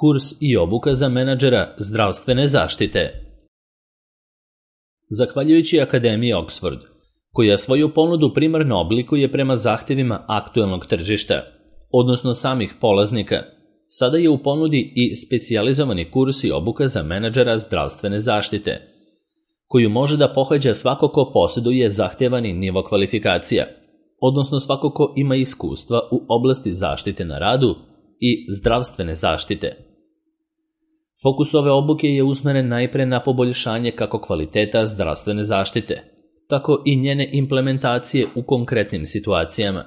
Kurs i obuka za menadžera zdravstvene zaštite. Zahvaljujući Akademiji Oxford, koja svoju ponudu primarno oblikuje prema zahtjevima aktuelnog tržišta, odnosno samih polaznika, sada je u ponudi i specijalizovani kurs i obuka za menadžera zdravstvene zaštite, koju može da pohađa svako ko posjeduje zahtjevani nivo kvalifikacija, odnosno svako ko ima iskustva u oblasti zaštite na radu i zdravstvene zaštite. Fokus ove obuke je usmeren najpre na poboljšanje kako kvaliteta zdravstvene zaštite, tako i njene implementacije u konkretnim situacijama,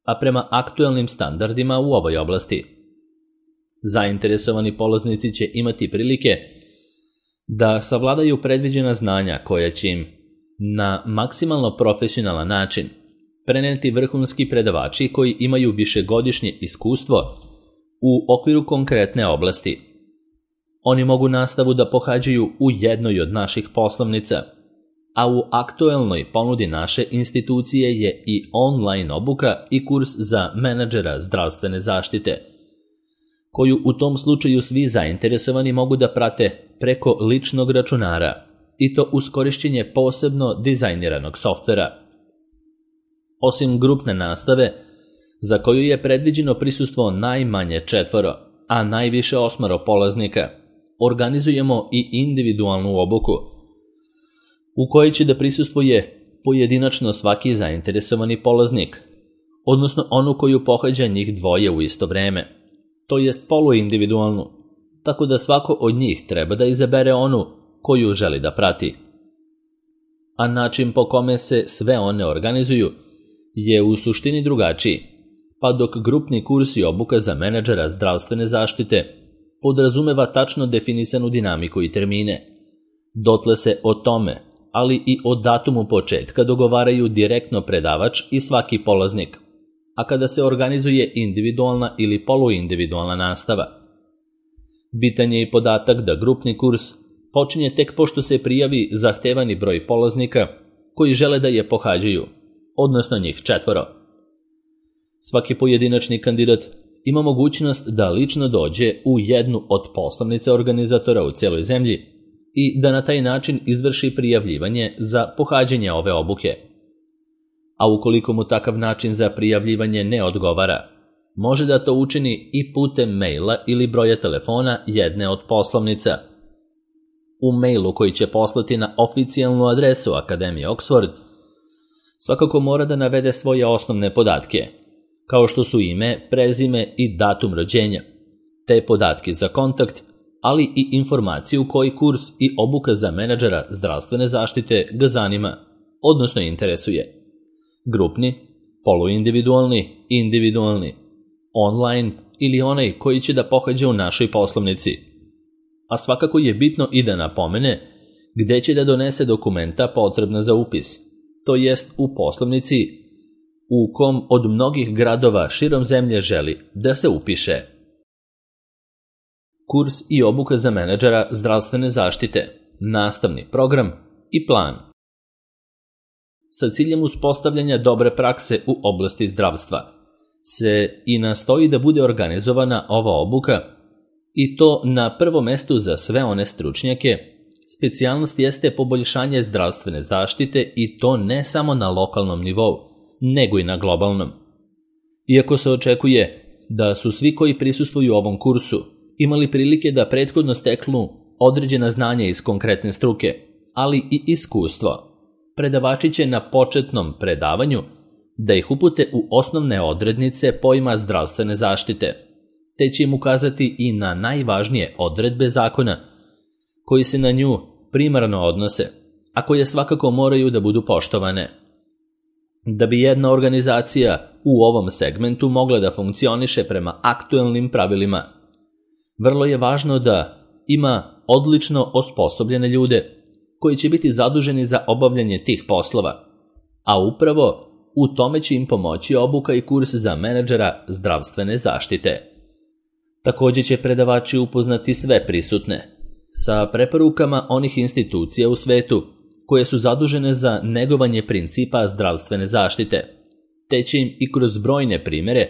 a prema aktuelnim standardima u ovoj oblasti. Zainteresovani polaznici će imati prilike da savladaju predviđena znanja koja će im na maksimalno profesionalan način preneti vrhunski predavači koji imaju višegodišnje iskustvo u okviru konkretne oblasti. Oni mogu nastavu da pohađaju u jednoj od naših poslovnica, a u aktuelnoj ponudi naše institucije je i online obuka i kurs za menadžera zdravstvene zaštite, koju u tom slučaju svi zainteresovani mogu da prate preko ličnog računara, i to uz korišćenje posebno dizajniranog softvera. Osim grupne nastave, za koju je predviđeno prisustvo najmanje 4, a najviše 8 polaznika, organizujemo i individualnu obuku, u kojoj će da prisustvuje pojedinačno svaki zainteresovani polaznik, odnosno onu koju pohađa njih dvoje u isto vreme, to jest poluindividualnu, tako da svako od njih treba da izabere onu koju želi da prati. A način po kome se sve one organizuju je u suštini drugačiji, pa dok grupni kurs i obuka za menadžera zdravstvene zaštite podrazumeva tačno definisanu dinamiku i termine, dotle se o tome, ali i o datumu početka dogovaraju direktno predavač i svaki polaznik, a kada se organizuje individualna ili poluindividualna nastava. Bitan je i podatak da grupni kurs počinje tek pošto se prijavi zahtevani broj polaznika koji žele da je pohađaju, odnosno njih 4. Svaki pojedinačni kandidat ima mogućnost da lično dođe u jednu od poslovnica organizatora u cijeloj zemlji i da na taj način izvrši prijavljivanje za pohađanje ove obuke. A ukoliko mu takav način za prijavljivanje ne odgovara, može da to učini i putem maila ili broja telefona jedne od poslovnica. U mailu koji će poslati na oficijalnu adresu Akademije Oxford, svakako mora da navede svoje osnovne podatke, kao što su ime, prezime i datum rođenja, te podatke za kontakt, ali i informaciju koji kurs i obuka za menadžera zdravstvene zaštite ga zanima, odnosno interesuje. Grupni, poluindividualni, individualni, online ili onaj koji će da pohađa u našoj poslovnici. A svakako je bitno i da napomene gde će da donese dokumenta potrebna za upis, to jest u poslovnici u kom od mnogih gradova širom zemlje želi da se upiše. Kurs i obuka za menadžera zdravstvene zaštite, nastavni program i plan. Sa ciljem uspostavljanja dobre prakse u oblasti zdravstva se i nastoji da bude organizovana ova obuka, i to na prvom mestu za sve one stručnjake. Specijalnost jeste poboljšanje zdravstvene zaštite i to ne samo na lokalnom nivou, nego i na globalnom. Iako se očekuje da su svi koji prisustvuju ovom kursu imali prilike da prethodno steknu određena znanja iz konkretne struke, ali i iskustvo, predavači će na početnom predavanju da ih upute u osnovne odrednice pojma zdravstvene zaštite, te će im ukazati i na najvažnije odredbe zakona koji se na nju primarno odnose, a koje svakako moraju da budu poštovane. Da bi jedna organizacija u ovom segmentu mogla da funkcioniše prema aktuelnim pravilima, vrlo je važno da ima odlično osposobljene ljude koji će biti zaduženi za obavljanje tih poslova, a upravo u tome će im pomoći obuka i kurs za menadžera zdravstvene zaštite. Također će predavači upoznati sve prisutne sa preporukama onih institucija u svetu koje su zadužene za negovanje principa zdravstvene zaštite, te će im i kroz brojne primjere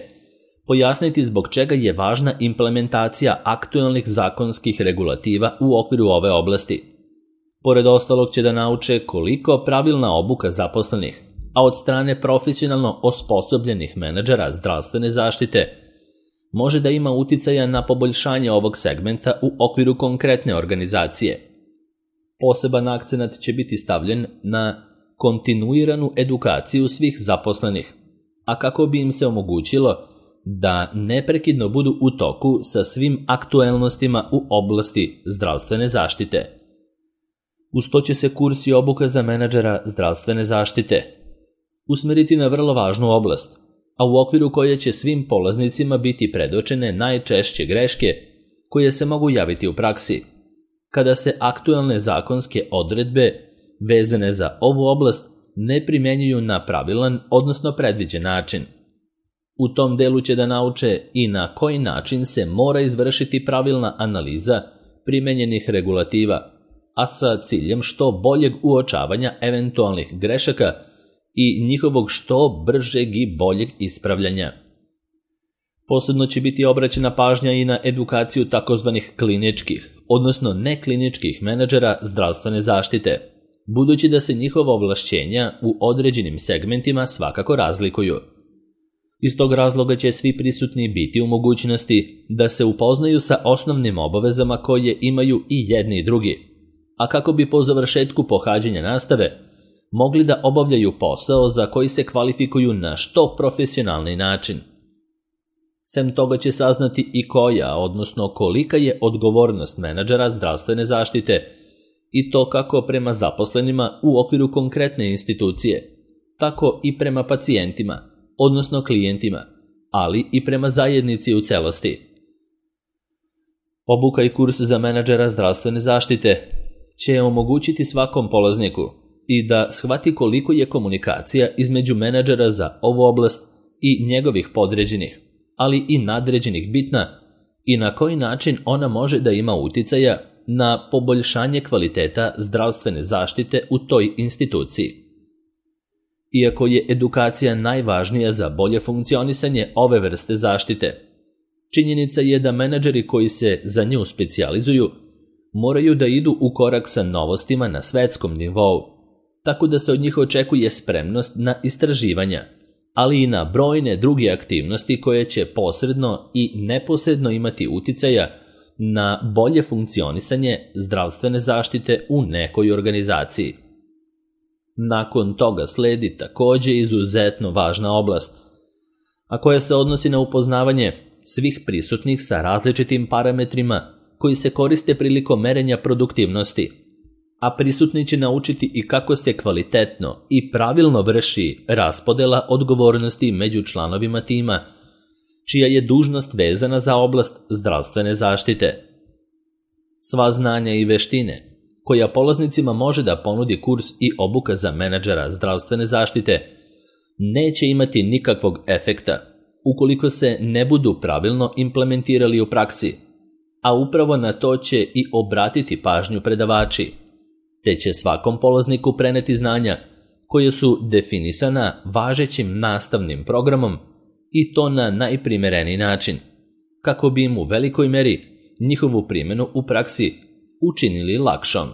pojasniti zbog čega je važna implementacija aktualnih zakonskih regulativa u okviru ove oblasti. Pored ostalog će da nauče koliko pravilna obuka zaposlenih, a od strane profesionalno osposobljenih menadžera zdravstvene zaštite, može da ima uticaja na poboljšanje ovog segmenta u okviru konkretne organizacije. Poseban akcenat će biti stavljen na kontinuiranu edukaciju svih zaposlenih, a kako bi im se omogućilo da neprekidno budu u toku sa svim aktuelnostima u oblasti zdravstvene zaštite. Uz to će se kurs i obuka za menadžera zdravstvene zaštite usmeriti na vrlo važnu oblast, a u okviru koje će svim polaznicima biti predočene najčešće greške koje se mogu javiti u praksi, kada se aktualne zakonske odredbe vezane za ovu oblast ne primjenjuju na pravilan, odnosno predviđen način. U tom delu će da nauče i na koji način se mora izvršiti pravilna analiza primenjenih regulativa, a sa ciljem što boljeg uočavanja eventualnih grešaka i njihovog što bržeg i boljeg ispravljanja. Posebno će biti obraćena pažnja i na edukaciju takozvanih kliničkih, odnosno nekliničkih menadžera zdravstvene zaštite, budući da se njihova ovlašćenja u određenim segmentima svakako razlikuju. Iz tog razloga će svi prisutni biti u mogućnosti da se upoznaju sa osnovnim obavezama koje imaju i jedni i drugi, a kako bi po završetku pohađanja nastave mogli da obavljaju posao za koji se kvalifikuju na što profesionalni način. Sem toga će saznati i koja, odnosno kolika je odgovornost menadžera zdravstvene zaštite i to kako prema zaposlenima u okviru konkretne institucije, tako i prema pacijentima, odnosno klijentima, ali i prema zajednici u celosti. Obuka i kurs za menadžera zdravstvene zaštite će omogućiti svakom polazniku i da shvati koliko je komunikacija između menadžera za ovu oblast i njegovih podređenih, ali i nadređenih bitna i na koji način ona može da ima uticaja na poboljšanje kvaliteta zdravstvene zaštite u toj instituciji. Iako je edukacija najvažnija za bolje funkcionisanje ove vrste zaštite, činjenica je da menadžeri koji se za nju specijalizuju moraju da idu u korak sa novostima na svetskom nivou, tako da se od njih očekuje spremnost na istraživanja, ali i na brojne druge aktivnosti koje će posredno i neposredno imati uticaja na bolje funkcionisanje zdravstvene zaštite u nekoj organizaciji. Nakon toga sledi također izuzetno važna oblast, a koja se odnosi na upoznavanje svih prisutnih sa različitim parametrima koji se koriste prilikom merenja produktivnosti, a prisutni će naučiti i kako se kvalitetno i pravilno vrši raspodela odgovornosti među članovima tima, čija je dužnost vezana za oblast zdravstvene zaštite. Sva znanja i veštine koja polaznicima može da ponudi kurs i obuka za menadžera zdravstvene zaštite neće imati nikakvog efekta ukoliko se ne budu pravilno implementirali u praksi, a upravo na to će i obratiti pažnju predavači, te će svakom polazniku preneti znanja koje su definisana važećim nastavnim programom i to na najprimereniji način, kako bi im u velikoj meri njihovu primjenu u praksi učinili lakšom.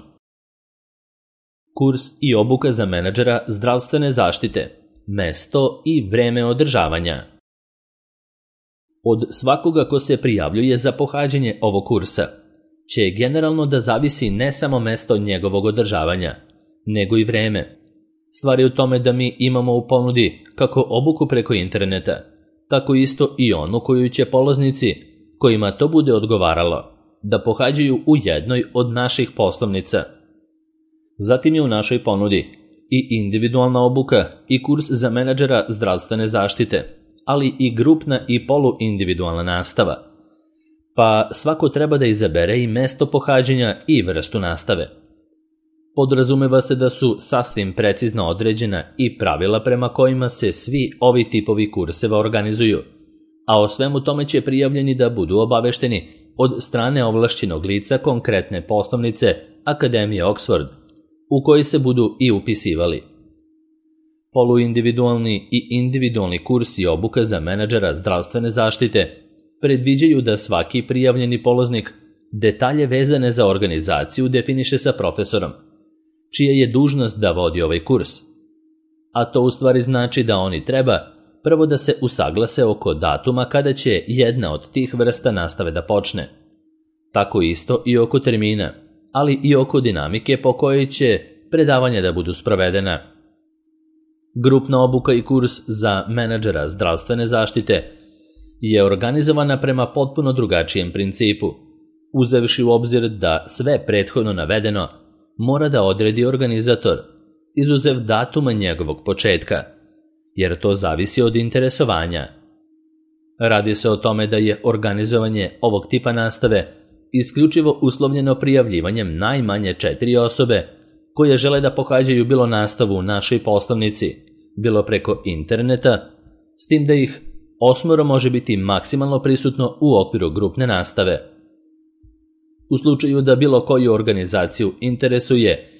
Kurs i obuka za menadžera zdravstvene zaštite, mesto i vreme održavanja. Od svakoga ko se prijavljuje za pohađanje ovog kursa će generalno da zavisi ne samo mesto njegovog održavanja, nego i vreme. Stvar je u tome da mi imamo u ponudi kako obuku preko interneta, tako isto i onu koju će polaznici, kojima to bude odgovaralo, da pohađaju u jednoj od naših poslovnica. Zatim je u našoj ponudi i individualna obuka i kurs za menadžera zdravstvene zaštite, ali i grupna i poluindividualna nastava. Pa svako treba da izabere i mesto pohađanja i vrstu nastave. Podrazumeva se da su sasvim precizno određena i pravila prema kojima se svi ovi tipovi kurseva organizuju, a o svemu tome će prijavljeni da budu obavešteni od strane ovlašćenog lica konkretne poslovnice Akademije Oxford, u kojoj se budu i upisivali. Poluindividualni i individualni kurs i obuka za menadžera zdravstvene zaštite predviđaju da svaki prijavljeni polaznik detalje vezane za organizaciju definiše sa profesorom, čija je dužnost da vodi ovaj kurs. A to u stvari znači da oni treba prvo da se usaglase oko datuma kada će jedna od tih vrsta nastave da počne. Tako isto i oko termina, ali i oko dinamike po kojoj će predavanja da budu sprovedena. Grupna obuka i kurs za menadžera zdravstvene zaštite je organizovana prema potpuno drugačijem principu, uzevši u obzir da sve prethodno navedeno mora da odredi organizator, izuzev datuma njegovog početka, jer to zavisi od interesovanja. Radi se o tome da je organizovanje ovog tipa nastave isključivo uslovljeno prijavljivanjem najmanje 4 osobe koje žele da pohađaju bilo nastavu u našoj poslovnici, bilo preko interneta, s tim da ih 8 može biti maksimalno prisutno u okviru grupne nastave. U slučaju da bilo koju organizaciju interesuje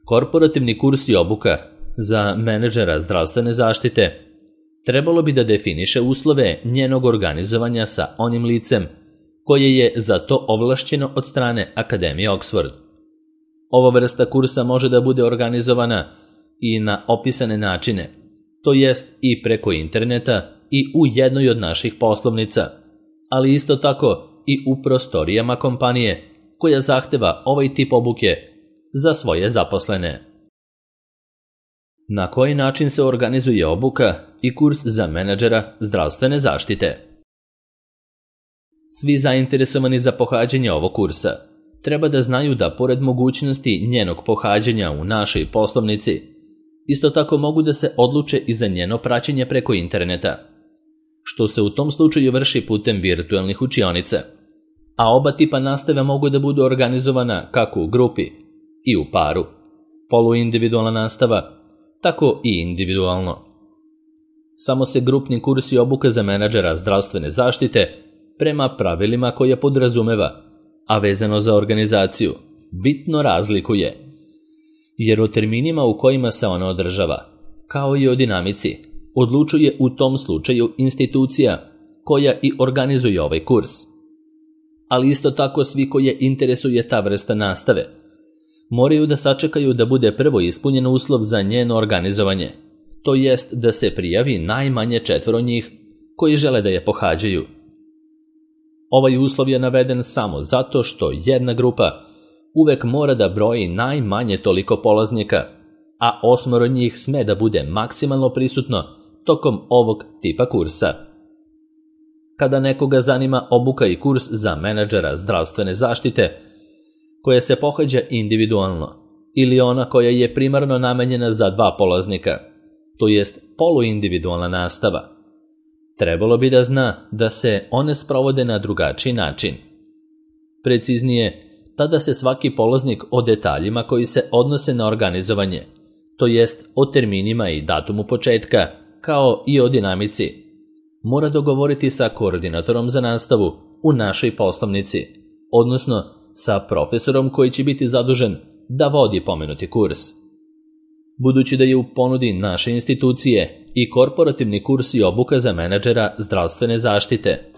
korporativni kurs i obuka za menadžera zdravstvene zaštite, trebalo bi da definiše uslove njenog organizovanja sa onim licem koje je za to ovlašćeno od strane Akademije Oxford. Ova vrsta kursa može da bude organizovana i na opisane načine, to jest i preko interneta i u jednoj od naših poslovnica, ali isto tako i u prostorijama kompanije koja zahteva ovaj tip obuke za svoje zaposlene. Na koji način se organizuje obuka i kurs za menadžera zdravstvene zaštite? Svi zainteresovani za pohađanje ovog kursa treba da znaju da pored mogućnosti njenog pohađanja u našoj poslovnici, isto tako mogu da se odluče i za njeno praćenje preko interneta, što se u tom slučaju vrši putem virtualnih učionica, a oba tipa nastave mogu da budu organizovana kako u grupi i u paru, poluindividualna nastava, tako i individualno. Samo se grupni kurs i obuka za menadžera zdravstvene zaštite prema pravilima koje podrazumeva, a vezano za organizaciju, bitno razlikuje, jer o terminima u kojima se ona održava, kao i o dinamici, odlučuje u tom slučaju institucija koja i organizuje ovaj kurs. Ali isto tako svi koje interesuje ta vrsta nastave moraju da sačekaju da bude prvo ispunjen uslov za njeno organizovanje, to jest da se prijavi najmanje 4 njih koji žele da je pohađaju. Ovaj uslov je naveden samo zato što jedna grupa uvek mora da broji najmanje toliko polaznika, a 8 njih sme da bude maksimalno prisutno tokom ovog tipa kursa. Kada nekoga zanima obuka i kurs za menadžera zdravstvene zaštite, koja se pohađa individualno, ili ona koja je primarno namenjena za 2 polaznika, to jest poluindividualna nastava, trebalo bi da zna da se one sprovode na drugačiji način. Preciznije, tada se svaki polaznik o detaljima koji se odnose na organizovanje, to jest o terminima i datumu početka, kao i o dinamici, mora dogovoriti sa koordinatorom za nastavu u našoj poslovnici, odnosno sa profesorom koji će biti zadužen da vodi pomenuti kurs. Budući da je u ponudi naše institucije i korporativni kurs i obuka za menadžera zdravstvene zaštite,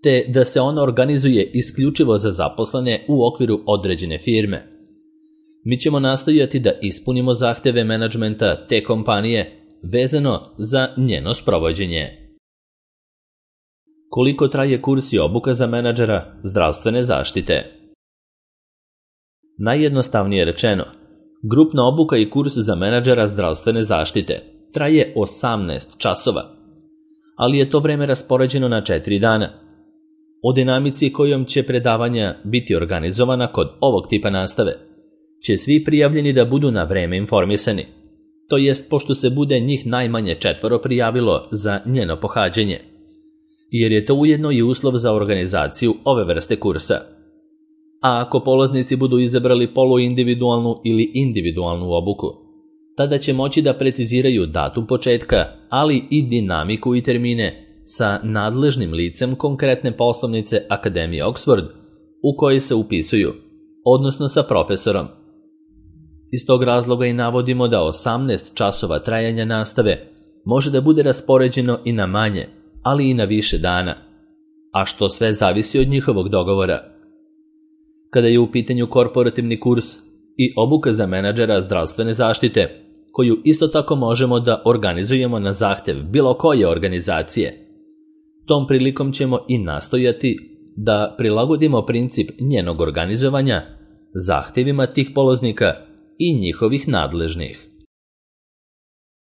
te da se ona organizuje isključivo za zaposlene u okviru određene firme, mi ćemo nastojati da ispunimo zahteve menadžmenta te kompanije vezano za njeno sprovođenje. Koliko traje kurs i obuka za menadžera zdravstvene zaštite? Najjednostavnije rečeno, grupna obuka i kurs za menadžera zdravstvene zaštite traje 18 časova, ali je to vreme raspoređeno na 4 dana. O dinamici kojom će predavanja biti organizovana kod ovog tipa nastave će svi prijavljeni da budu na vreme informisani, to jest pošto se bude njih najmanje 4 prijavilo za njeno pohađanje, jer je to ujedno i uslov za organizaciju ove vrste kursa. A ako polaznici budu izabrali poluindividualnu ili individualnu obuku, tada će moći da preciziraju datum početka, ali i dinamiku i termine sa nadležnim licem konkretne poslovnice Akademije Oxford u kojoj se upisuju, odnosno sa profesorom. Iz tog razloga i navodimo da 18 časova trajanja nastave može da bude raspoređeno i na manje, ali i na više dana, a što sve zavisi od njihovog dogovora. Kada je u pitanju korporativni kurs i obuka za menadžera zdravstvene zaštite, koju isto tako možemo da organizujemo na zahtev bilo koje organizacije, tom prilikom ćemo i nastojati da prilagodimo princip njenog organizovanja zahtjevima tih polaznika i njihovih nadležnih.